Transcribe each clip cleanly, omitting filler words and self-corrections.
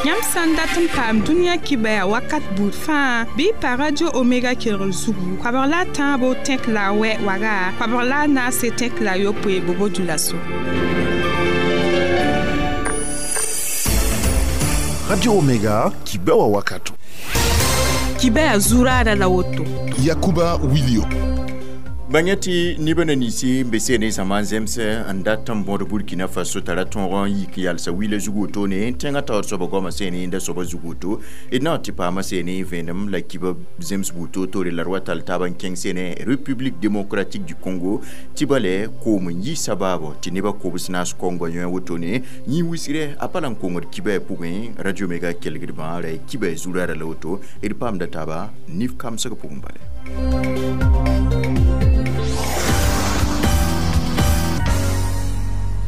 Yãmb sã n dat n paam dũniyã kibaya wakat buud fãa bɩ y pa Radio Omega kelgr zugu koabg la a tãabo tẽk la a wɛ waga koabg la a naase tẽk la a yopoe Bobo Dioulasso. Radio Omega kibewa wakato. Kibaya zurada la woto. Yakuba Wilio. Bãngã tɩ nebã na ninsi n be seene zãma n zems n dat n bõd Burkina Faso tara tõog n yik yalsa wila zug wotone tẽngã taoor soaba goamã seene n da soaba zug woto d na n tɩ paama seene vẽenem la kiba zems buud toor-toore la d wa tall taab n kẽng seene République démocratique du Congo tɩ bale koom n yi sabaabo tɩ nebã kobs naas kaongã yõe wotone yĩ wisgrɛ a pa la n kongd kibã pʋgẽ Radio Omega kelgdbã ra kiba zurara la woto d paamda taaba nif kamsg pʋgẽ bale.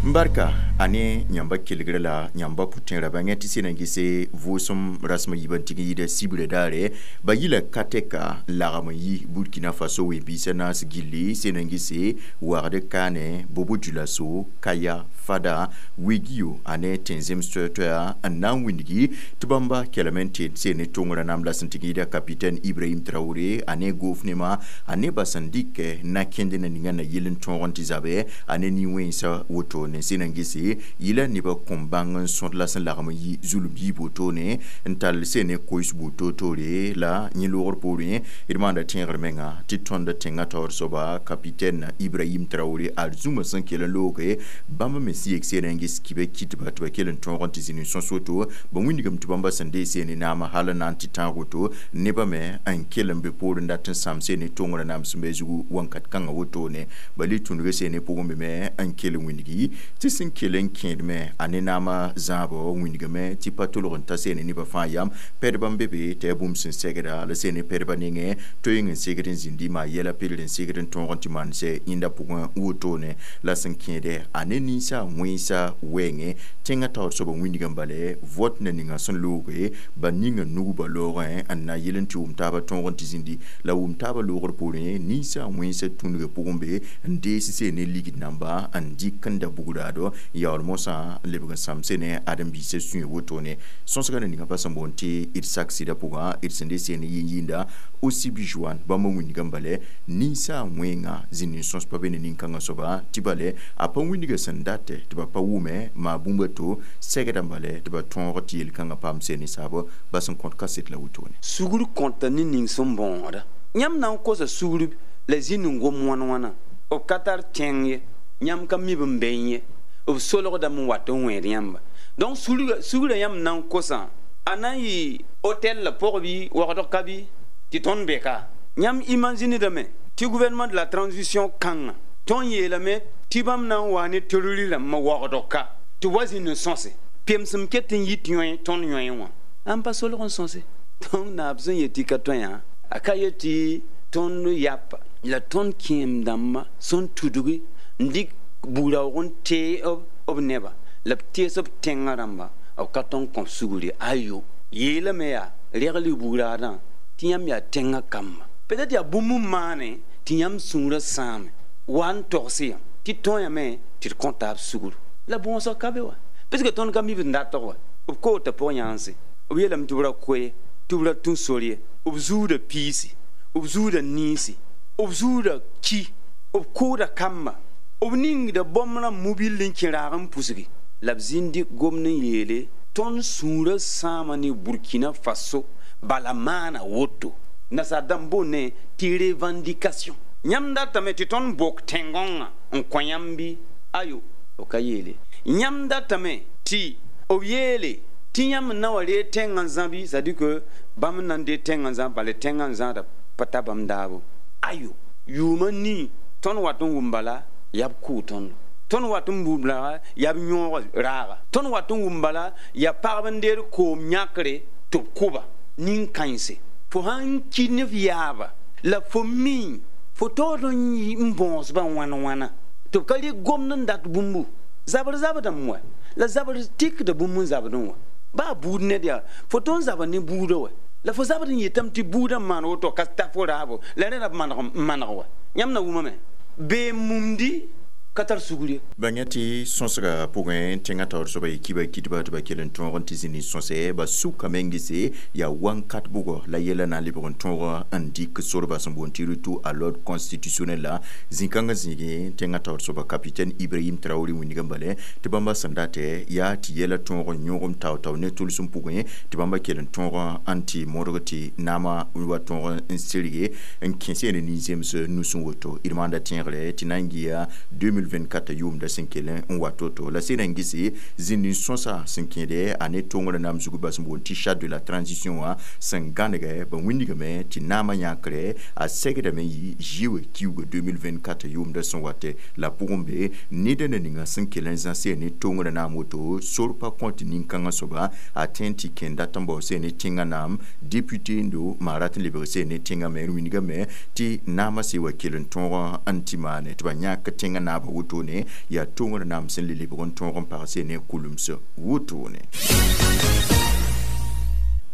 Barka ane yãmba kelgrã la yãmba pʋtẽerã bãngã tɩ sẽn na gese vʋʋsem rasem yiibã n tɩg n yɩɩda sibrã daare ba yila ka tɛka n lagem n yi Burkina Faso ween-biisã naas gilli sẽn na gese wagd kaane Bobo Dioulasso Kaya Fada Wigio ane tẽn-zems toɛ-toɛa n na n wĩndgi tɩ bãmba kelem n tɩ seen ne tõngrã naam la sẽn tɩg n yɩɩda capitaine Ibrahim Traoré ane gofnema ane ba sẽn dɩkɛ na-kẽnd na ninga na yell n tõog n tɩ zabe ane nin-wẽnsa wotone sẽn na gese yila nebã kõn bãng n sõd la sẽn lagem n yi zulum yiib wotone n tall sẽn ne kois buud toor-toore la yẽ loogr poorẽ d maanda tẽegr menga tɩ tõnd tẽngã taoor soaba capitaine Ibrahim Traoré ad zũma sẽn kell n looge bãmb me sẽn yek seen n ges kibã kitba tɩ ba kell n tõog n tɩ zĩnd n sõs woto ba wĩndgame tɩ bãmba sẽn dee seen naamã hal n na n tɩ tãag woto nebã me n kell n be poorẽ n dat n sãam seen ne tõngrã naam sẽn be zugu wãnkat kãngã wotone ba le tũnugã seen ne pʋgẽ be me n kell n wĩndgi tɩ sẽn kell n kẽedme a ne naamã zãabɔ wĩndgame tɩ pa tolg n ta seen nebã fãa yam pɛdbã n be be tɩ yaa bũmb sẽn segda la seen ne pɛdbã nengẽ toeeng n segd n zĩndi maa yɛla pedr n segd n tõog n tɩ maan sɛ yẽnda pʋgẽ wotone la sẽn kẽede a ne ninsa wẽnsa wɛɛngẽ tẽngã taoor soaba wĩndgã bale vote na ninga sẽn looge ba ninga nug ba loogẽ n na yel n tɩ wʋm taabã tõog n tɩ zĩndi la wʋm taabã loogr poorẽ ninsa wẽnsa tũnugã pʋgẽ be n dees seen ne ligd namba n dɩk n da bugraado yaool mosã n lebg n sãam sene ãdem-biisã sũyã wotone sõsgã na ninga pa sẽn boond tɩ d sak sɩdã pʋgã d sẽn de seen yĩn-yĩnda Osibijoan bãmb wĩndgã bale ninsa wẽnga zĩnd n sõs pa be ne nin-kãngã soaba tɩ bale a pa wĩndgã sẽn datɛ tɩ ba pa wʋme maa bũmb a to sɛgdã bale tɩ ba tõog tɩ yel-kãngã paam seen ne saabo ba sẽn kõt kaset la wotone. Sugr kõta ne ning sẽn bõoda yãmb na n kosa sugr la zĩnd n gom wãn-wãna b ka tar tẽng ye yãmb ka mi b n bẽn ye b solgdame n wat n wẽed yãmba donc sugrã yãmb na n kosã a na n yɩ hôtel la pʋg bɩ wagdg ka bɩ tɩ tõnd be ka yãmb imaginedame tɩ gouvernement de la transition kãngã tõnd yeelame tɩ bãmb na n waa ne terrori rãmbã wagdg ka tɩ wa zĩnd n sõse pemsem ket n yit yõe tõnd yõe wã ãn pa solg n sõse donc naab sẽn yet tɩ ka tõe yã a ka yet tɩ tõnd yapa la tõnd kẽem dãmbã sẽn tudgi n dɩk buud-raoog n tee b neba la b tees b tẽngã rãmba b ka tõn kõ sugr ye ayo yeelame yaa regl y buud-raadã tɩ yãmb yaa tẽngã kamba peut-être yaa bũmb n maane tɩ yãmb sũurã sãame wa n togs yã tɩ tõe yame tɩ d kõ taab sugr la bõosg ka be wa parce que tõnd ka mi b n datg wa b koota pʋg-yãanse b yeelame tɩ b ra koe tɩ b ra tũ sor ye b zuuda piisi b zuuda niisi b zuuda ki b kʋʋda kamba b ningda bõmb rãmb mobil n kẽ raag n pusgi la b zĩnd gomd n yeele tõnd sũurã sãama ne Burkina Faso bala maana woto nasaar dãmb boonne tɩ revendication yãmb datame tɩ tõnd bok tẽn-gõngã n kõ yãmb bɩ ayo b ka yeele yãmb datame tɩ b yeele tɩ yãmb n na wa reeg tẽngã n zã bɩ c'est à dire que bãmb n na n deeg tẽngã n zã bala tẽngã n zãada pa ta bãmb daabo ayo yʋʋmã nii tõnd wat n wʋm bala yaa b kʋʋ tõndo tõnd wat n wʋm bala yaa b yõog raaga tõnd wat n wʋm bala yaa pagb n deed koom yãkre tɩ b kʋba nin-kãense fo sãn ki ne f yaaba la fo mi fo taood n bõosbã wãn-wãna tɩ b ka rɩk gomd n dat bũmbu zabr zabdame wa la zabr tikda bũmb n zabdẽ wã baa buud ned yaa fo tõnd zabr ne buudã wa la fo zabd n yetame tɩ buudã n maan woto ka ta fo raabo la rẽ ra b maneg wa yãmb na wʋmame bee mumdi Ka tar sugr ye. Bãng tɩ sõsga pʋgẽ tẽngã taoor soaba y kiba kɩtba tɩ ba kell n tõog n tɩ zĩni sõse ba sʋkame n gese yaa wãnkat bʋgɔ la yɛla na n lebg n tõog n dɩk sorba sẽn boond tɩ retour à l'ordre constitutionnel la zĩ-kãngã zĩigẽ tẽngã taoor soaba capitaine Ibrahim Traoré wĩndgã bale tɩ bãmba sẽn datɛ yaa tɩ yɛla tõog n yõgem tao-tao ne tʋlsem pʋgẽ tɩ bãmba kell n tõog n tɩ modg tɩ naamã wa tõog n sirge n kẽ sẽn nin-zems nus n woto d maanda tẽegre tɩ na n gɩa 2024 yʋʋmda sẽn kell n wa to-to la sẽn na n gese zĩnd n sõsa sẽn kẽede a ne tõngrã naam zug bas n boond tɩ charte de la transition wã sẽn gãnegɛ ba wĩndgame tɩ naamã yãkre a segdame yɩ zɩɩ kiuga 2024 yʋʋmda sẽn watɛ la pʋgẽ be ned na ninga sẽn kell n zãsɛ ne tõngrã naam woto sor pa kõ tɩ nin-kãngã soaba a tẽ tɩ kẽn dat n bao sẽn ne tẽngã naam député n do maa rat n lebg sẽn ne tẽngã me d wĩndgame tɩ naamã se wa kell n tõog n tɩ maane tɩ ba yãk tẽngã naabã wotone yaa tõngr naam sẽn le lebg n tõog n pag ne kulems wotone.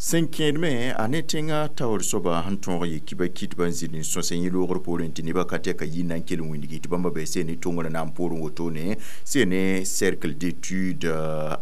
Sẽn kẽedme a ne tẽngã taoor soaba sẽn tõog yɩ kiba kɩtba n zĩnd n sõs yẽ loogr poorẽ tɩ nebã ka tɛka yɩ na n kell n wĩndgi tɩ bãmba bɩ sẽn ne tõngrã naam poorẽ wotone sẽn ne Cercle d'études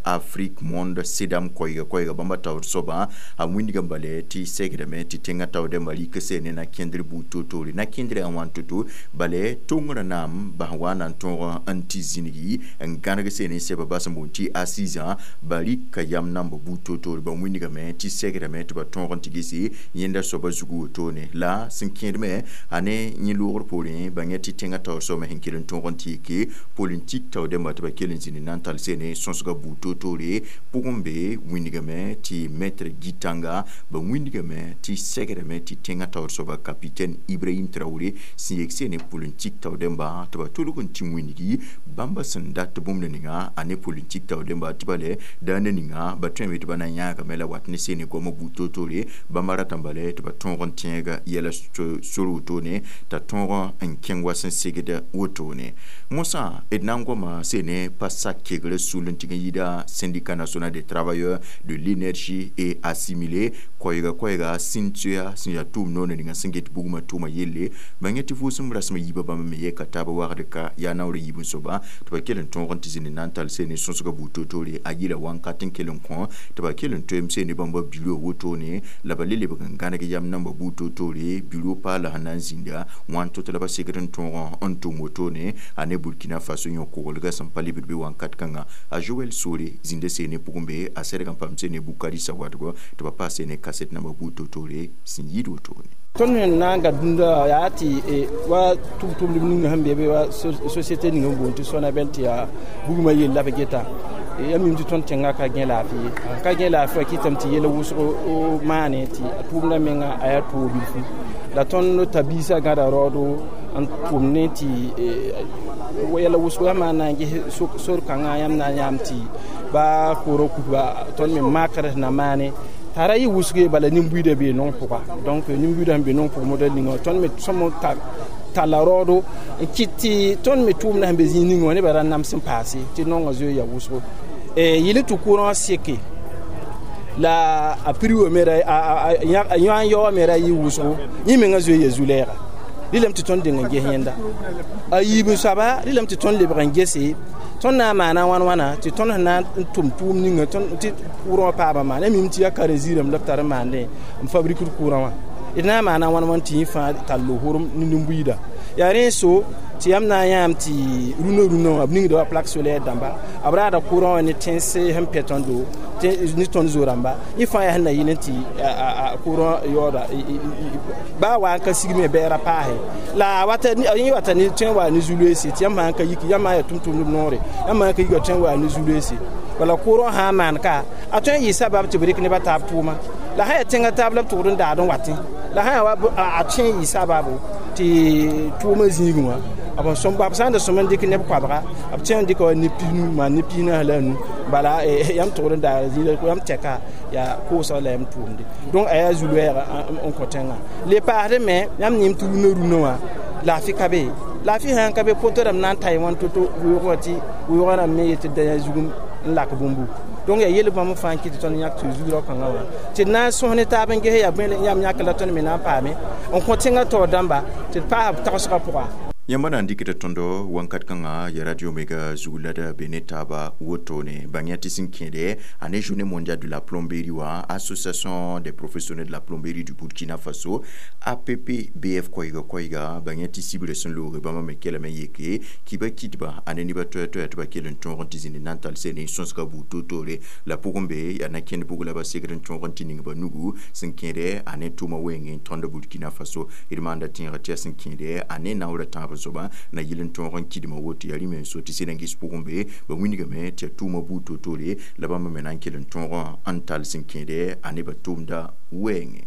Afrique Monde CEDAM koɛɛga koɛɛga bãmba taoor soaba a wĩndgã bale tɩ segdame tɩ tẽngã taoodãmbã rɩk sẽn ne na kẽndr buud to-toore na kẽndrã a wãn to-to bale tõngrã naam bas wa na n tõog n tɩ zĩnigi n gãneg sẽn ne sɛba bas n boond tɩ assisã ba rɩka yam namba buud to-toore ba wĩndgame tɩ segrame tɩ ba tõog n tɩ gese yẽnda soaba zugu wotone la sẽn kẽedme a ne yẽ loogr poorẽ ba yẽ tɩ tẽngã taoor soabã sẽn kell n tõog n tɩ yeke politik taoodãmbã tɩ ba kell n zĩnd na n tall sẽn ne sõsga buud to-toore pʋgẽ be wĩndgame tɩ maître Gitanga ba wĩndgame tɩ segrame tɩ tẽngã taoor soaba capitaine Ibrahim Traoré sẽn yek sẽn ne politik taoodãmbã tɩ ba tolg n tɩ wĩndgi bãmba sẽn dat bũmb ninga a ne politik taoodãmbã tɩ ba lɛ daana ninga ba tõeme tɩ ba na n yãagame la wat ne sẽn ne goamã buud to-toore bãmba ratã bala tɩ ba tõog n tẽega yɛla sor wotone t'a tõog n kẽng wa sẽn segd wotone mosã d na n goama sẽn ne pa sak kegrã sul n tɩg n yɩɩda Syndicat national des travailleurs de l'énergie et assimilé koɛɛga koɛɛga sẽn tʋa sẽn yaa tʋʋm noor ninga sẽn get bugmã tʋʋma yelle ba yẽ tɩ vʋʋsem rasem yiibã bãmb me yɛka taab wagd ka yaa naoor yiib n soaba tɩ ba kell n tõog n tɩ zĩnd na n tall sẽn ne sõsga buud to-toore a yɩla wãnkat n kell n kõ tɩ ba kell n toeem sẽn ne bãmba bureau wotone la ba le lebg n gãneg yam namba buud to-toore bureau paala sẽn na n zĩnda wãn to tɩ la ba segd n tõog n tʋm wotone a ne Burkina Faso yõ koglga sẽn pa lebd be wãnkat kãnga a Joel Sore zĩnda seen ne pʋgẽ be a sɛdg n paam seen ne Bukari Sawadgo tɩ ba paas seen ne kaset namba buud to-toore sẽn yɩɩd wotone. Tõnd sẽn na n ga dũnda yaa tɩ wa tʋm-tʋmdb ninga sẽn be be wa société ning n boond tɩ Sonabel tɩ yaa bugmã yell la b geta ya mim tɩ tõnd tẽngã ka gẽ laafɩ ye ka gẽ laafɩ wã kɩtame tɩ yɛl wʋsg maane tɩ a tʋʋmdã menga a yaa toog bilfu la tõnd ta biisã gãda raoodo n tʋm ne tɩ yɛla wʋsgo yãmb na n ges sor kãngã yãmb na n yãam tɩ ba koorã kuba tõnd me makr sẽn na maane t'a ra yɩ wʋsg bala nin-buiidã bee nong pʋga donc nin-buiidã sẽn be nong pʋg modɛl ninga tõnd me sõm talla raoodo n kɩt tɩ tõnd me tʋʋmdã sẽn be zĩig ninga wã nebã ra nams n paase tɩ nongã zoe ya wʋsgo yɩl tɩ kʋrã seke la a prix wã me a yõ n yaoowã me ra yɩ wʋsgo yẽ mengã zoe ya zu-lɛɛga rɩlame tɩ tõnd deng n ges yẽnda a yiib n soaba rɩlame tɩ tõnd lebg n gese tõnd na n maana wãn wãna tɩ tõnd sẽn na n tʋm tʋʋm ninga tɩ kʋʋrã wã paama maana mim tɩ yaa karen-ziirame la b tar n maandẽ n fabrikd kʋʋrã wã d na n maana wãn wãn tɩ yẽ fãa tall hʋrem ne nin-buiida yaa rẽ so tɩ yãmb na n yãam tɩ rũnã rũnã wã b ningda wa plaque solaire dãmba b raada kʋʋrã wã ne tẽns sẽn pɛ tõndo ne tõnd zo-rãmba yẽ fãa yaa sẽn na yɩl n tɩ kʋʋrã yaooda baa wa n ka sigme bɛɛra paase la yẽ wata ne tõe n wa ne zu-loeese tɩ yãmb sã n ka yiki yãmb sã n yaa tʋm-tʋmdb noore yãmb sã n ka yika tõe n wa ne zu-loeese bala kʋʋrã sã n maan ka a tõe n yɩ sabab tɩ b rɩk nebã taab tʋʋma la sã yaa tẽngã taab la b tʋgd n daad n watẽ la sã yaa wa a tõe n yɩ sababo tɩ tʋʋmã zĩigẽ wã b sã n da sõm n dɩk neb koabga b tõe n dɩka wa neb pisnu maan neb pisnaas la a nu bala yãmb tʋgd n daara zĩig yãmb tɛka yaa koosg la yãmb tʋʋmde donc a yaa zu-loɛɛga n kõ tẽngã le paasdẽ me yãmb yẽm tɩ rũnã rũnã wã laafɩ ka be laafɩ sã n ka be poto rãmb na n ta wãn to-to weoog wã tɩ weoogã rãmb me yetɩ da yã zugum n lak bũmbu donc yaa yel bãmb fãa n kɩt tɩ tõnd yãk tɩ zugrao kãngã wã tɩ d na n sõs ne taab n ges yaa bõe yãmb yãk la tõnd me na n paame n kõ tẽngã taoor dãmba tɩ d paas b tagsgã pʋga. Yãmba na n dɩkda tõndo wãnkat kãngã ya Radio Omega zug la d be ne taaba wotone. Bãng tɩ sẽn kẽede a ne Journée mondiale de la plomberie wã, Association des professionnels de la plomberie du Burkina Faso, APPBF koɛɛga koɛɛga, bãng tɩ sibrã sẽn looge bãmba me kelame yeke kɩba kɩtba a ne nebã toɛ-toɛ tɩ ba kell n tõog n tɩ zĩnd n na n tall sene sõsga buud toor-toore la pʋgẽ be yaa na kẽnd bʋg la ba segd n tõog n tɩ ning ba nugu sẽn kẽede a ne tʋʋma wẽngẽ tõnd Burkina Faso. D maanda tẽega tɩ yaa sẽn kẽede a ne naoora tãab soaba na yɩl n tõog n kɩdmã woto yaa rĩm n so tɩ sẽd n ges pʋgẽ be ba wilgame tɩ yaa tʋʋma buud toor-toore la bãmba me na n kell n tõog n tall sẽn kẽede a nebã tʋʋmda wɛɛngẽ.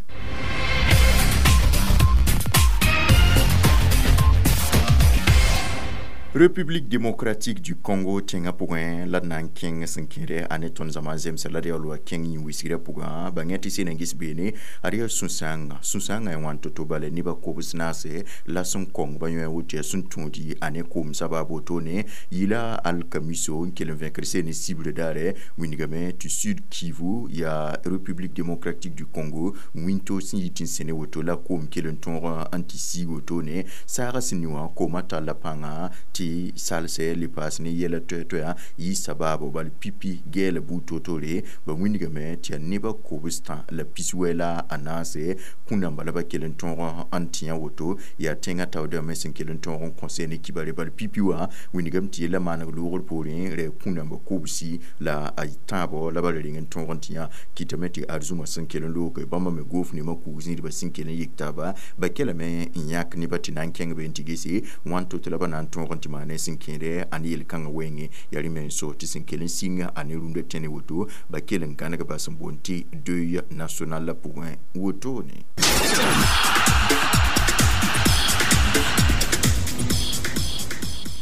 République démocratique du Congo tẽngã pʋgẽ la d na n kẽng sẽn kẽede a ne tõnd zãma zemsã la d yaool wa kẽng yĩn-wisgrã pʋgã. Bãng tɩ sẽn n ges beene ad yaa sũ-sãanga, sũ-sãangã ya wãn to-to bala nebã kobs naase la sẽn kong ba yõ woto yaa sẽn tũudi a ne koom sabab wotone yɩla alkamiso n kell n vẽkr seen ne sibrã daare wilgame tɩ Sud Kivu yaa République démocratique du Congo wĩnto sẽn yit n sẽne woto la koom kell n tõog n tɩ siig wotone saagã sẽn ni wã koomã talla pãnga tɩ salsɛ le paas ne yɛla toɛ-toɛa yɩ sabaabo bal pipi gɛɛla buud toor-toore ba wilgame tɩ yaa nebã kobs-tã la piswɛ la a naase kũnãmba la ba kell n tõog n tẽ woto yaa tẽngã taoodame sẽn kell n tõog n kõse ne kibare bal pipi wã wilgame tɩ yella maaneg loogr poorẽ rɛ kũnãmba kobsi la a tãabo la ba ra reng n tõog n tẽ kɩtame tɩ arzũmã sẽn kell n looge bãmba me goof nemã kug zĩidbã sẽn kell n yik taaba ba kelame n yãk nebã tɩ na n kẽng be n tɩ gese wãn to-to la ba na n tõog n tɩ maan sẽn kẽede a ne yel-kãngã wɛɛngẽ yaa rẽme n so tɩ sẽn kell n sɩnga a ne rũndã tẽne woto ba kell n gãneg ba sẽn boond tɩ deuil national la pʋgẽ wotone.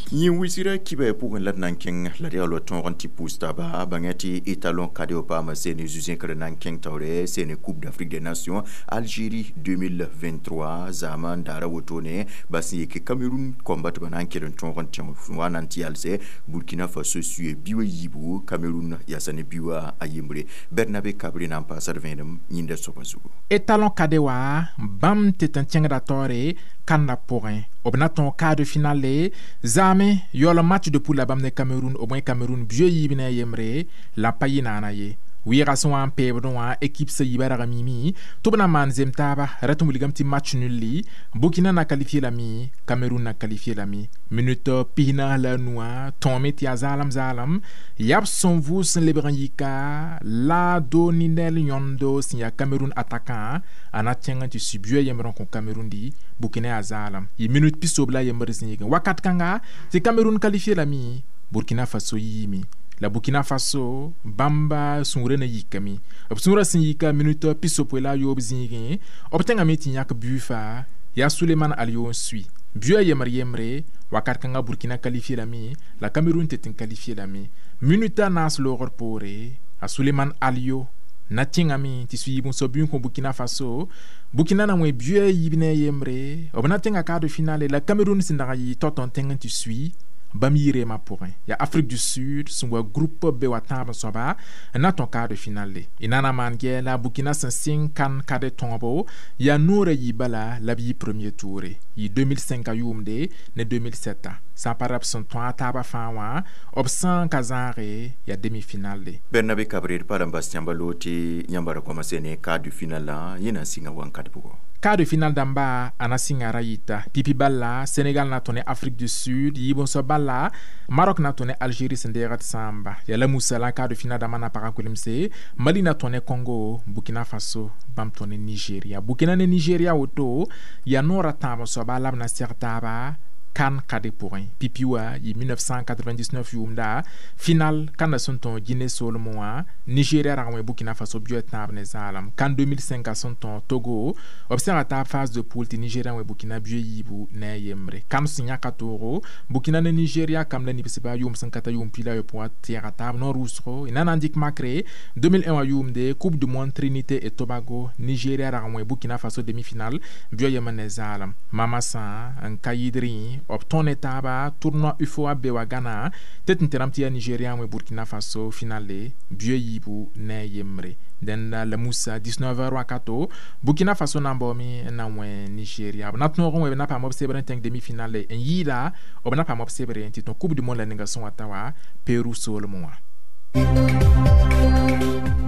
Yĩn-wisgrã kibã pʋgẽ la d na n kẽng la d yaool wa tõog n tɩ pʋʋs taaba bãngã tɩ étalon kadeo paama sene zu-zẽkr na n kẽng taoore sene Coupe d'Afrique des Nations Algérie 2023 zaamã n daara wotone ba sẽn yeke Cameroun kõmba tɩ ba na n kell n tõog n tẽ wa na n tɩ yalsɛ Burkina Faso sue biwã yiibu Cameroun yaasa ne biwã a yembre Bernabe Kabre na n paasa d vẽenem yĩnda soabã zugu. Étalon kade wa bãmb tɩ tɩ n kẽngda taoore kãnda pʋgẽ b na tõog quart de finale zaame yaool match de poule la bãmb ne Cameroun b wẽ Cameroun biyo yiib ne a yembre la pa yɩ naana ye wɩɩga sẽn wa n peebdẽ wã équipe sã yiibã rag mimi tɩ b na maan zem taaba rat n wilgame tɩ match nul Burkina na qualifié lame Cameroun na qualifié lame minute 45 wã tõome tɩ yaa zaalem zaalem yaa b sẽn vʋʋs n lebg n yika la Doninel yõndo sẽn yaa Cameroun attaquant a na kẽng n tɩ sũ biyo yembr n kõ Cameroun di Burkina yaa zaalem yɩ minute 70 la yembr zĩigẽ wakat kãnga tɩ Cameroun qualifié lame Burkina Faso yiime la Burkina Faso bãmba sũurã na yikame b sũurã sẽn yika minute 63 zĩigẽ b tẽngame tɩ yãk bui faa yaa Suleiman Aliou n sui bui a yembr yembre wakat kãngã Burkina qualifié lame la Cameroun tɩ tɩ n qualifié lame minute a naas loogr poore a Suleiman Aliou na tẽngame tɩ sũ yiib n soab bui n kõ Burkina Faso Burkina na wẽ bui a yiib ne a yembre b na tẽnga quart de finale la Cameroun sẽn dag n yɩ tao-tao n tẽng n tɩ sui bãmb yɩ-reemã pʋgẽ yaa Afrique du Sud sẽn wa groupe B wa tãab n soaba n na tõe quart de finale y na na maan gɛ la Burkina sẽn sɩng kan kade tõobo yaa noorã yɩ bala la b yɩ premier tour yɩ 2005 a yʋʋmde ne 2007 sã n pa ra b sẽn tõa a taabã fãa wã b sã n ka zãage yaa demi-finale. Bernabe Kabre d pa n bas yãmba loog tɩ yãmba ra goama sene quart de finale yẽ na n sɩnga wãnkat pʋgɔ. Quart de finale dãmba a na sɩnga ra yɩta pipi bala Sénégal na tõ ne Afrique du Sud yiib n soab bala Maroc na tõ ne Algérie sẽn deegd sãamba yaa la musala quart de finale dãmbã na pag n kulemse Mali na tõ ne Congo Burkina Faso bãmb tõ ne Nigeria Burkina ne Nigeria woto yaa noorã tãab n soaba la b na seg taaba kan kade pʋgẽ pipi wa yɩ 1999 yʋʋmda final kãnda sẽn tõog Guinée soolmẽ wã Nigeria rag wẽ Burkina Faso biyo tãab ne zaalem kan 2005 a sẽn tõog Togo b sẽga taab phase de poule tɩ Nigeria wẽ Burkina biyo yiibu ne a yembre kam sẽn yãka toogo Burkina ne Nigeria kam la nibsba yʋʋm sẽn ka ta yʋʋm 28 wã tẽega taab noor wʋsgo y na n dɩk makre 2001 wã yʋʋmde Coupe du monde Trinité et Tobago Nigeria rag wẽ Burkina Faso demi-finale biyo yembr ne zaalem mama sã n ka yɩɩd rẽ B tõe ne taaba tournoi UFOA be wa Ghana tɩ tɩ tẽrame tɩ yaa Nigeria n wẽ Burkina Faso finale bio yiibu ne a yembre. Dẽnda la Musa 19h wakato, Burkina Faso na n baoome n na n wẽ Nigeria. B na tõog n wẽ, b na paam b sebr n tẽng demi-finale, n yɩɩda b na paam b sebre n tɩ tõ Coupe du monde la ninga sẽn wa ta wa Peru soolmẽ wã.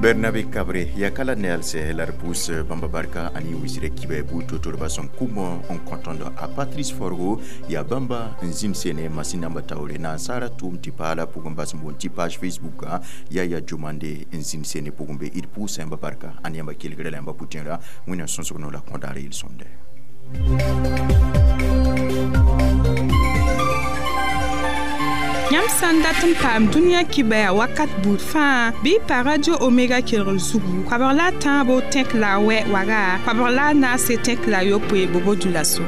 Bernabe Kabre yakala nelse la repousse bamba barka ani wisire kibe bu totorba son kumo on contando a Patrice Forgo ya bamba nzim sene masina taure na sara tum tipala pugumba smbon ti page Facebook ya ya jumande nzim sene pugumbe il pousse bamba barka ani yamba kilgre la yamba putinra wina sonsono la kondare il sonde. Yãmb sã n dat n paam dũniyã kibɛa wakat buud fãa, bɩ y pa Radio Omega kelgr zugu koabg la a tãabo tẽk la a wɛ waga, koabg la a naase tẽk la a yopoe bobo dulaso.